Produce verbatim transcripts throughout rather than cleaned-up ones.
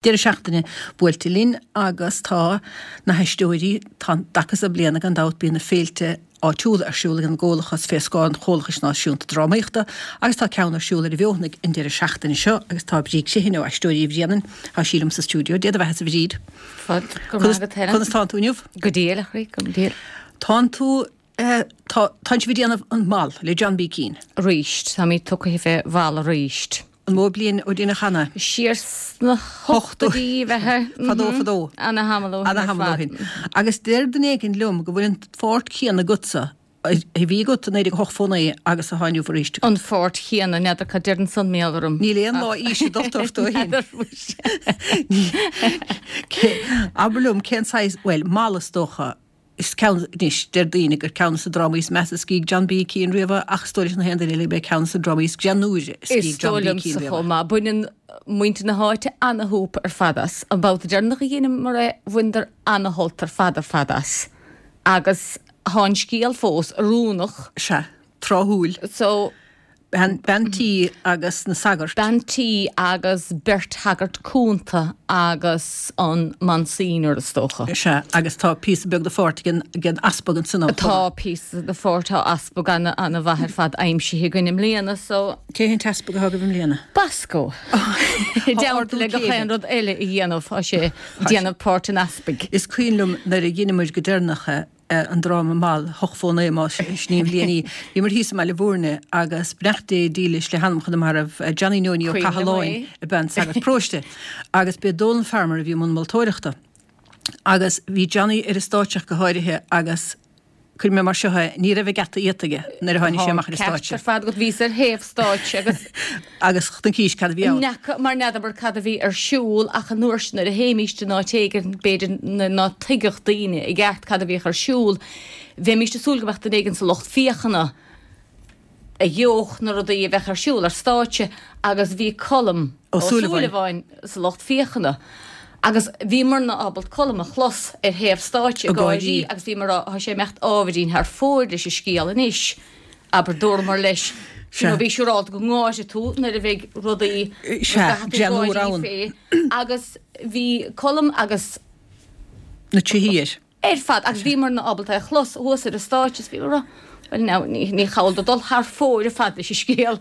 Deireadh seachtaine buailte linn agus tá na haisteoirí, tá an dtaca so bliana gan dabht bíonn na féilte áitiúla ar siúl ag an gComhlachas fé scáth an Chomhlachais Náisiúnta Drámaíochta agus tá ceann ar siúl ar an bhFeothanaigh an deireadh seachtaine seo agus tá Bríd Criomhthain ó Aisteoirí Bhréanainn, tá sí liom sa stiúideo. Dé do bheatha-sa a Bhríd. Fáilte, go raibh maith agat Helen. Conas tánn tú inniu? Go diail, a chroí, go diail. Tánn tú, eh, tá, tánn sibh ag déanamh an Mal le John B. Keane. Aríst, táimid tugtha fé Mhal aríst. An mó bliain ó deineadh cheana? Siar sna hochtóidí a bheith. Fadó fadó. Ana-thamall ó shin ar Ana-thamall ó fad. shin. Agus deir duine éigin liom go bhfuil an pháirt chéanna agatsa a bhí agat i naoi déag ochtó naoi agus atá inniu arís agat. An pháirt chéanna, n'fheadar cad deir ansan mar gheall orm. Níl aon lá aoise dulta ort ó shin. N'fheadar muise. Abair liom cén saghas, bhuel, Mal is dócha. Is ceann, anois, deir daoine gur ceann de na drámaí is measa a scrígh John B. Keane riamh é, ach is dóigh leis na haon duine eile gurb é ceann de na drámaí is greannúire a Is scrígh John dóigh B. liomsa Keane riamh é. chomh maith. Baineann muintir na háite ana-shúp ar fad as. An babhta deireanach a dheineamar é, bhaineadar ana-shult ar fad ar fad as. Agus thá an scéal fós oiriúnach. Sea, tráthúil. So. Bean, bean tí agus na sagairt. Bean tí agus beirt shagart cúnta agus an Monsignor is dócha. Sea, agus tá píosa beag de pháirt ag an, ag an easpag ansan chomh Tá maith. píosa de pháirt, tá easpag ana, ana mhaith ar fad aimsithe againn i mbliana so. Cé hé an t-easpag atá agaibh i mbliana? Bosco. I Tá dteannta ardú le gach céime. aon rud eile a dhéanamh, tá sé ag déanamh páirt an easpaig. Is cuimhin liom nuair a dheineamar go deireanach é, an dráma Mal, ochtó naoi más sin í an bhliain í. Bhíomar thíos i mBaile Bhúirne agus beannacht Dé dílis le hanam chun na marbh, Johnny Neoiní Ó Cuimhin liom Cathaláin é. ab ea an sagart paróiste agus b'é Dónal Farmer a bhí i mbun moltóireachta. Agus bhí Johnny ar an stáitse ach go háirithe agus cuirfidh mé mar seo é, ní raibh a geata iata aige nuair a tháinig Tá sé an amach ar an ceart stáitse. ar fad agat, bhíos ar thaobh stáitse agus. Agus chonaicis cad a bhí ann. N'fheaca, mar n'fheadamar cad a bhí ar siúl ach an uair sin nuair a théimíst in áit éigin b'fhéidir ná tuigfeadh daoine i gceart cad a bhíodh ar siúl. Bheimíst ag súil go mbeadh duine éigin sa lucht féachana a gheobhadh na rudaí a bheadh ar siúl ar stáitse agus bhí Colm Ó Ó Súilleabháin. Súilleabháin sa lucht féachana agus bhíomarna ábalta Colm a chlos ar thaobh stáitse Ag ag gáirí gáirí. agus bhíomar á rá tá sé ag imeacht ábhairín thar fóir leis an scéal anois, abair, dúramar leis, you know, Sea. bí siúrálta go ngáirfidh tú nuair a bheidh rudaí Sea, go gcaithfidh tú greannúr gáirí ann. fé. Agus bhí Colm agus. Na tríthí air. Ar fad, agus bhíomarna ábalta é a chlos thuas ar an stáitse is bhíomar ag rá, bhuel now, ní, ní chall dó dul thar fóir ar fad leis an scéal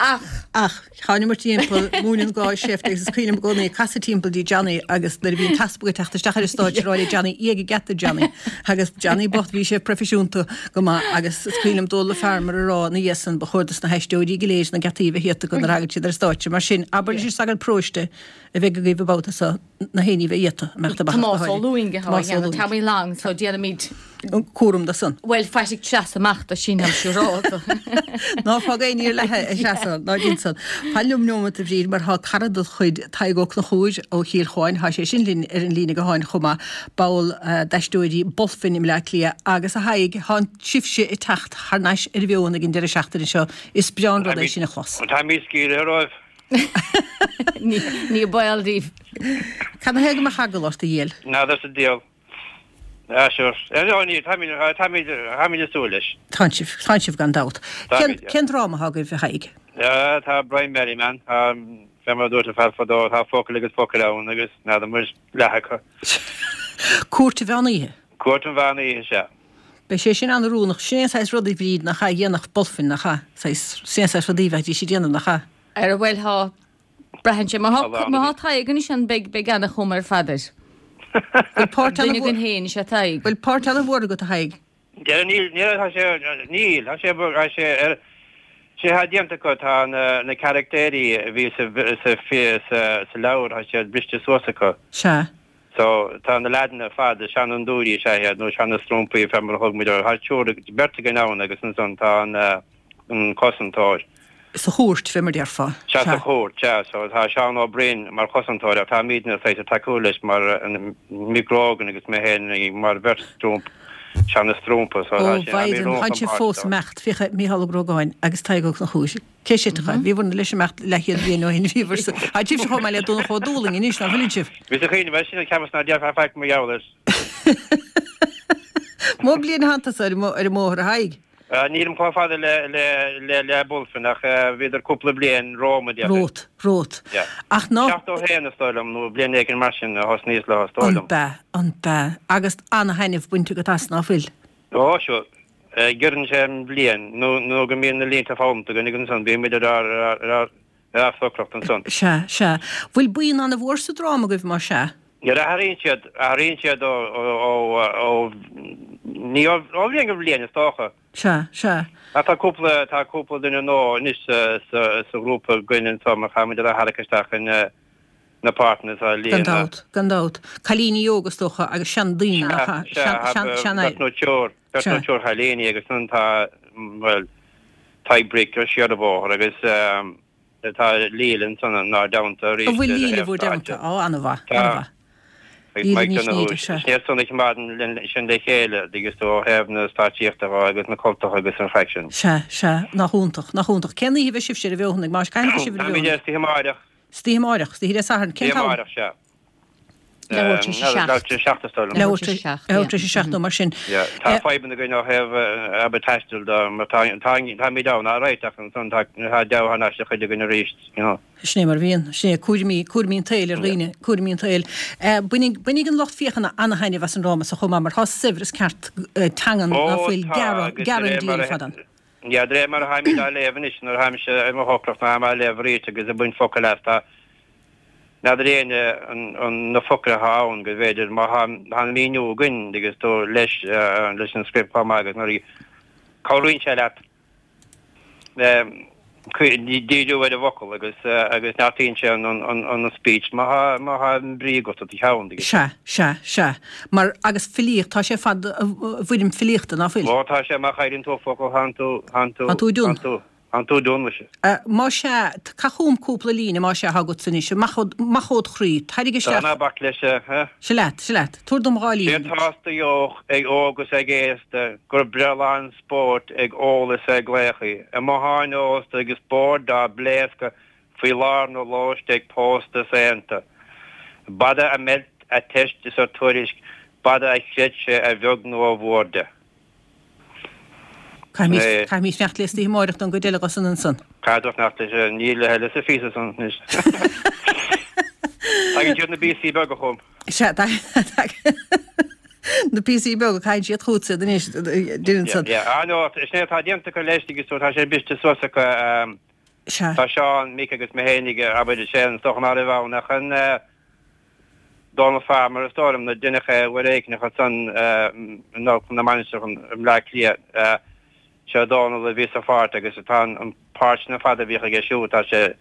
ach. Ach thánamar timpeall Móin an Gháis seift agus is cuimhin liom i gcónaí ag casadh timpeall dtí Johnny agus nuair a bhí an t-easpag ag teacht isteach ar an stáitse ag rá le Johnny, Éag an geata Johnny agus Johnny bocht bhí sé proifisiúnta go maith agus is cuimhin liom Dónal Farmer ag rá ina dhiaidh san ba chóir dos na haisteoirí go léir na geataí a bheith iata acu nuair a thagann siad ar an stáitse mar sin abair leis an sagart paróiste a bheidh agaibh an babhta so na haon ní bheith iata, a mbeadh amach as go Tomás Ó háirithe. Lúing atá á Tomás Ó dhéanamh, Lúing. Tommy Long, so déanaimid. An cúram de san. Bhuel, faigh treasa amach do sin, I'm siúrálta. Ná fág aon ní ar leathadh a Threasa, ná déan san. Fan liom neomat a Bhríd mar thá cara dod chuid, Tadhg Ó Conchúir ó Chill Chuáin, thá sé sin linn ar an líne gutháin chomh maith, ball d'Aisteoirí Bulfin i mBleá Cliath agus a Thaidhg, thá sibhse ag teacht thar n-ais ar an bhFeothanaigh ag an deireadh seachtaine seo, is breá an rud é sin a chlos. Táimid scaoilthe romhaibh. Ní baol daoibh. Cad ina thaobh go mbeadh eagla ort, a dhiail? N'fheadar sa diabhal. Ah, sure. No, níl, táimid, táimid, táimid ag súil leis. Tánn sibh, tánn sibh gan dabht. Cén, Táimid, yeah. cén dráma atá agaibh, a Thaidhg? Ah, tá Brian Merriman, tá, fé mar a dúirt an fear fadó, tá focal agus focal ann agus n'fheadar muid leath acu. Cúirt an Mheán Oíche. Cúirt an Mheán Oíche, sea. Beidh sé sin an-oiriúnach. Sin é an saghas rudaí, Bríd, nach ea, a dhéanfadh Bulfin, nach ea? Saghas, sin é an saghas rudaí a bheidís ag déanamh, nach ea? Ara bhuel thá, braitheann sé, má thá, Tá má thá Tadhg anois ann beidh, beidh ana-chuma ar fad air. Bhfuil páirt Duine ana-mhór, againn féin is ea Tadhg. bhfuil páirt ana-mhór agat, a Thaidhg? Deireadh níl, níl, tá sé, níl, tá sé, tá sé ar, sé thá déanta acu, tá na, na caractéirí a bhí sa, sa, sa, sa leabhar, tá siad briste suas acu. Sea. So, tá na leaideanna ar fad, seanfhondúirí is ea iad, nó seana-strúmpaí, fé mar a thug muid orthu. Tá triúr, beirt againn ann agus ansan tá an, an cosantóir. Sa chúirt, fé mar déarfá. Sea, sa Sea. chúirt, sea. So, tá Seán Ó Broin mar chosantóir ach táimidne saghas ag tacú leis mar an, Mick Grogan agus mé féin mar bheirt strúmp, seana-strúmpa. So, Ó, tá sé, mhaighdean, táimid tánn sibh romham fós páirt. imeacht, féach Mícheál Ó Grógáin agus Tadhg Ó Conchúir. Cé sibh? Bhíobhair leis imeacht leathchéad bliain ó shin, bhíobhair sa. Tá sibhse chomh maith le Donncha Ó Dúlaing anois, ná fuileann sibh? Bhí sa chuimhne, bhuel sin an ceapas ná déarfá faic mar gheall air. Mó bliain atánn tusa ar an mbóthar, a Thaidhg? Nílim chomh fada le le le le Bulfin ach bhíodar cúpla bliain romham déarfainn. Romhat, romhat. Yeah. Ach ná. Seachtó a haon is dóigh liom nó bliain éigin mar sin a thosnaíos leo is dóigh An liom. b'ea, an b'ea. Agus ana-thaitneamh bainte agat as, ná fuil? Ó, sure. Giorrann sé an bhliain nó nó go mbíonn na línte foghlamtha againn agus ansan bímid ar ár ar ár ar ár socracht ansan. Sea, sea. Bhfuil buíon ana-mhór sa dráma agaibh, más ea? Nuair a athraíonn siad, athraíonn siad ó, ó, ó, ó, ní ó, ó bhliain go bliain is dócha. Sea, sea. Ach tá cúpla, tá cúpla duine nua anois sa, sa, sa ghrúpa againn anso mar chaithfimid iad a tharrac isteach in na páirteanna atá a Gan líonadh. dabht, gan dabht. Cailíní óga is dócha agus seandaoine, nach ea? Sea, Sean, sea, sean, beirt sean, nó triúr, beirt nó Sea. triúr chailíní agus ansan tá, bhuel, Tadhg Bric ó siar an bóthar agus, Tá Leela ansan inár dteannta arís An bhfuil le Leela thaobh bhur dteannta? stáitse. Ó, an-mhaith, Tá. an-mhaith. Agus Leela Mike Ní Donoghue, Shnoíde, sea. sin iad san a choimeádann sinn le chéile, dtuigeann tú, ó thaobh na stáitsíochta dhó agus na cultacha agus an chraic sin. Sea, sea, nach iontach, nach iontach. Cén oíche a bheidh sibhse ar an bhFeothanaigh? Más cathain a bheidh sibh ar an Táimid bhFeothanaigh? istoíche amáireach. Istoíche amáireach, istoíche Dé Sathairn. Cén Istoíche t-am? amáireach, sea. Leathuair tar éis a seacht. Leathuair tar éis a seacht is dóigh liom. Leathuair tar éis a seacht nó mar sin. Tá fadhbanna againn ó thaobh abair taistil de mar tá táimid ann alright ach ansan tá deabhadh thar n-ais ag cuid againn arís, you know. Sin é mar a bhíonn, sin é, cúraimí, cúraimí an tsaoil ar dhaoine, cúraimí an tsaoil. Bainfidh, bainfidh an lucht féachana ana-thaitneamh as an dráma so chomh maith mar tá saibhreas ceart teangan ná Ó fuil tá gearradh, agus de gearradh an réir mar diabhal a fad ann. Yeah, de réir mar a tháimid á léamh anois nuair a tháimse ar mo shocracht ná tháim á léamh arís agus ag baint focal as tá N'fheadar éinne na focail atá ann go bhféidir má tá an míniú againn agus tú leis leis an script chomh maith agus nuair a cabhraíonn sé leat díriú ar an bhfocal agus agus neartaíonn sé an an speech má tá má tá an brí agat i do cheann agus. Sea, sea, sea. Mar agus filíocht, tá sé ar fad i bhfoirm filíochta, ná fuil? Ó tá sé má chailleann tú focal tánn tú tánn tú Tánn tú done. tánn tú Tánn tú done muise. Más ea, caith chugam cúpla líne, más ea, atá agatsa anois, amach amach ód chroí, tarraing Tá, isteach. ná bac leis, eh? Seo leat, seo leat. Tabhair dom dhá Sé líne anois. atá sa deoch ag óg is ag aosta gur breithlá an spóirt ag ól is ag glaochaí, i mbotháin ósta agus boird á bpléascadh faoi lár na lóiste ag pósta is aonta. B'fhada a mheilt a teist is a tuairisc, b'fhada a chreid sé a bheag nó a mhór de. Caithfimid fanacht le istoíche amáireach don gcuid eile dho san ansan. Caithfidh fanacht leis, níl a thuilleadh sa phíosa san anois. Tagann siad na píosaí beaga chugam. Sea, na píosaí beaga, caithfidh siad chugatsa anois, deireann Yeah, san. yeah. Ah no, sin é atá déanta acu leis agus tá sé briste suas acu. Sea. Tá Seán, Mick agus mé fhéinig, abair, is é an stoc ná raibh ann ach an Donal Farmer is dóigh liom nó deineadh é uair éicneach ansan in Amharclann na Mainistreach i mBleá Cliath. Sé Dónal a bhí sa pháirt agus tá an páirt sin ar fad a bhíodh aige siúd, tá sé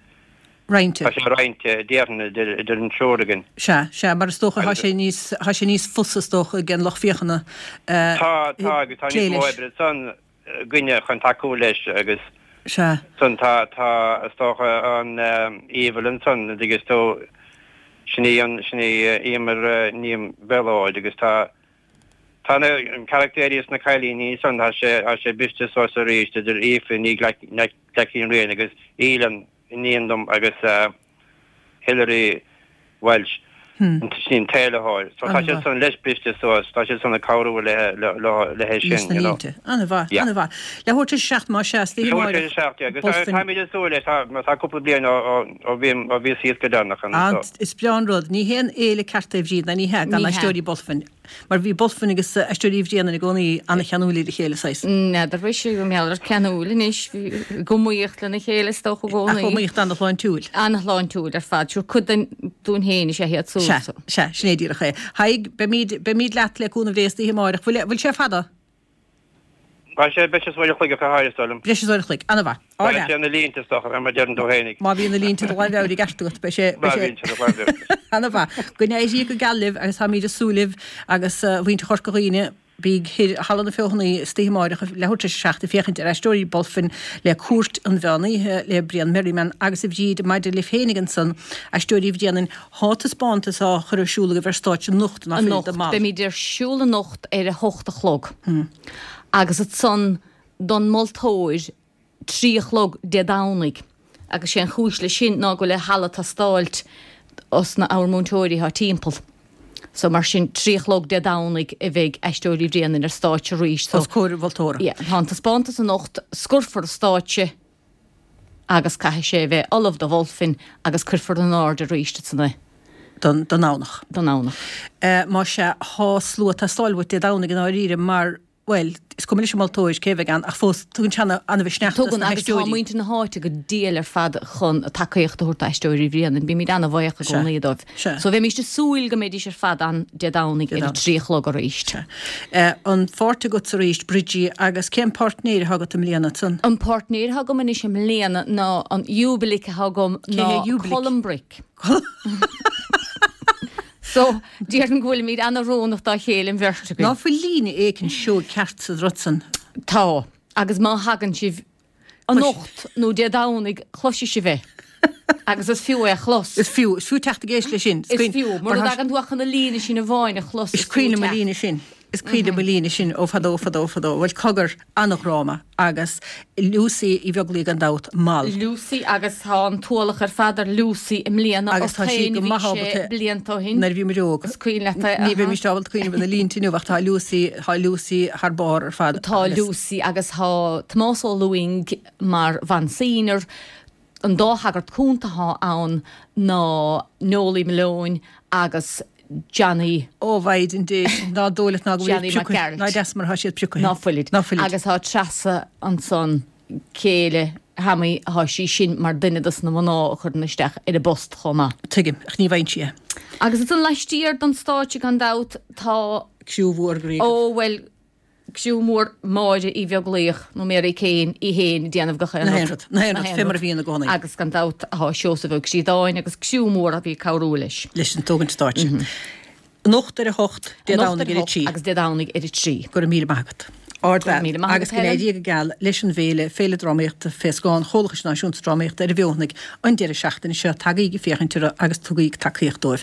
Roinnte. tá sé roinnte, déarfainn, idir idir an triúr againn. Sea, sea, mar is dócha tá sé níos, tá sé níos fusa is dócha ag an lucht féachana Tá, tá agus tá plé níos mó leis. oibre ansan againne chun tacú leis agus Sea. Ansan tá, tá, is dócha an Aoibheall ansan, an dtuigeann tú, sin í an, sin í Emer Ní Mhiolóid agus tá, tá na carachtéirí is na cailíní ansan, tá sé, tá sé briste suas arís idir Aoife Ní Ghlaic-, Ní Riain agus Aoileann, iníon dom agus Hilary Walsh, sin í an t-éilitheoir. So tá siad san leis briste suas, tá siad san ag cabhrú le le Leis sin, na you know. línte. An-mhaith, Yeah. an-mhaith. Leathuair tar éis a seacht más ea, istoíche Leathuair tar amáireach. éis a seacht, yeah, agus Bulfin. táimid ag súil leis, tá tá cúpla bliain ó ó ó bhí ó bhí síos go deireanach ann, An, so. is breá an rud, ní haon fhéile ceart é a Bhríd, ná ní hea, gan Ní hea. Aisteoirí Bulfin. Mar bhí Bulfin agus Aisteoirí Uí Bhraonáin i gcónaí an-cheanúil ar a chéile, saghas. N'fheadar bhí sé go mbeadh ceanúil anois, bhí ag iomaíocht lena chéile is dócha i Ach gcónaí. iomaíocht an-shláintiúil. An-shláintiúil ar fad, sure cuid den dúinn féin is ea iad súil. Sea, sea, sin é díreach é. Thaidhg, beimid, beimid leat le cúnamh Dé istoíche amáireach. Bhfuil, bhfuil sé fada? Tá sé breis is uair a chloig ach a háirithe, is dóigh liom. Breis is uair a chloig, an-mhaith. Tá Ár sé na línte is dócha, mar a deireann tú fhéinig. Má bhíonn na línte de láimh i gceart agat, beidh sé, Má beidh sé. bhíonn sé de láimh agat. An-mhaith. Go n-éirí go geal libh agus táimid ag súil libh agus a mhuintir Chorca Dhuibhne, bíg thoir i Halla na Feothanaí istoíche amáireach leathuair tar éis a seacht ag féachaint ar Aisteoirí Bulfin le Cúirt an Mheán Oíche le Brian Merriman agus a Bhríd maidir libh fhéinig ansan, Aisteoirí Uí Bhraonáin, thá taispeántas á chur ar siúl agaibh ar stáitse anocht ná fuil Anocht, de mall. beimid ar siúl anocht ar a hocht a chlog. Agus ansan don moltóir trí a chlog Dé Domhnaigh. Agus sé an chúis leis sin ná go bhfuil an halla ag teastáilt os na ár múinteoirí thá timpeall. So mar sin trí a chlog Dé Domhnaigh a bheidh Aisteoirí Bhréanainn ar stáitse arís. So os comhair an mholtóra. Yeah, tá an taispeántas anocht, scoirfear an stáitse agus caithfidh sé a bheith ullamh do mholfainn agus cuirfear in airde arís ansan é. Don Domhnach. Don Domhnach. Más ea, tá slua ag teastáil uait Dé Domhnaigh i ndáiríre mar, bhuel, is cuma leis an moltóir cé a bheidh ann ach fós tugann sé an-mhisneach dos Tugann, na agus tá haisteoirí. muintir na háite go diail ar fad chun tacaíocht a thabhairt d'Aisteoirí Bhréanainn. Bímid an-bhuíoch i Sea, gcónaí dóibh. sea. So bheimíst ag súil go mbeidís ar fad ann Dé Domhnaigh Dé ar a Domhnaigh. trí a chlog arís. Sea. An pháirt agatsa arís, Bridgie, agus cén páirtnéir atá agat i mbliana ansan? An páirtnéir atá agam anois i mbliana ná an Iúbilic atá agam Cé ná hé Iúbilic? Colm Bric. So, déarfainn go bhfuilimid an-oiriúnach dá chéile an bheirt Ná againn. fuil líne éicint seoigh ceart sa rud san? Tá, agus má thagann sibh anocht nó Dé Domhnaigh cloisfidh sibh é. Agus is fiú é a chlos. Is fiú, is fiú teacht ag éisteacht leis sin. Is fiú, mura dtagann tú ach chun na líne sin amháin a chlos, Is is fiú cuimhin liom an teacht. líne sin. Is cuimhin liom an líne sin ó fadó, fadó, fadó. Bhuel, cogar, an-dhráma agus Lucy Uí Bheaglaoich gan dabht, mall. Lucy agus tá an t-ualach ar fad ar Lucy i mbliana Agus tá sí ort féin go a bhí maith sé ábalta blianta ó shin. nuair a bhí muid óg. Is cuimhin leat é, Ní aha. bheimist ábalta cuimhneamh ar na línte inniu ach tá Lucy, tá Lucy thar barr ar fad Tá agus. Lucy agus tá Tomás Ó Lúing mar Mhonseigneur. An dá shagart cúnta atá ann ná Noelie Malone agus Johnny. Ó Mhaighdean Dé, ná dóigh leat ná go bhfuil Johnny priocadh, Mac Gearailt. ná deas mar atá siad priocadh. Ná fuilid. Ná fuilid. Agus tá Treasa ansan, céile Thammy, tá sí sin mar duine dos na mná a chuireann isteach ar an bpost chomh maith. Tuigim, ach ní bhfaigheann sí é. Agus ansan laistiar don stáitse gan dabht tá. Criú mhór groí. Ó bhuel, Criú mór Máire Uí Bheaglaoich nó Mary Kane í fhéin ag déanamh gach aon Na haon rud. rud, na haon rud, fé mar a bhíonn i gcónaí. Agus gan dabht tá Seosamh Ó Críodáin agus criú mór a bhí ag cabhrú leis. Leis an tógaint stáitse. Anocht ar a hocht, Dé Anocht Domhnaigh ar a ar a hocht trí. agus Dé Domhnaigh ar a trí. Go raibh míle maith agat. Ardbhean. Go raibh míle maith Agus agat, go Helen. n-éirí go geal leis an bhféile, Féile Drámaíochta fé scáth an Chomhlachais Náisiúnta Drámaíochta ar an bhFeothanaigh an deireadh seachtaine seo. Tagaigí ag féachaint orthu agus tugaigí tacaíocht dóibh.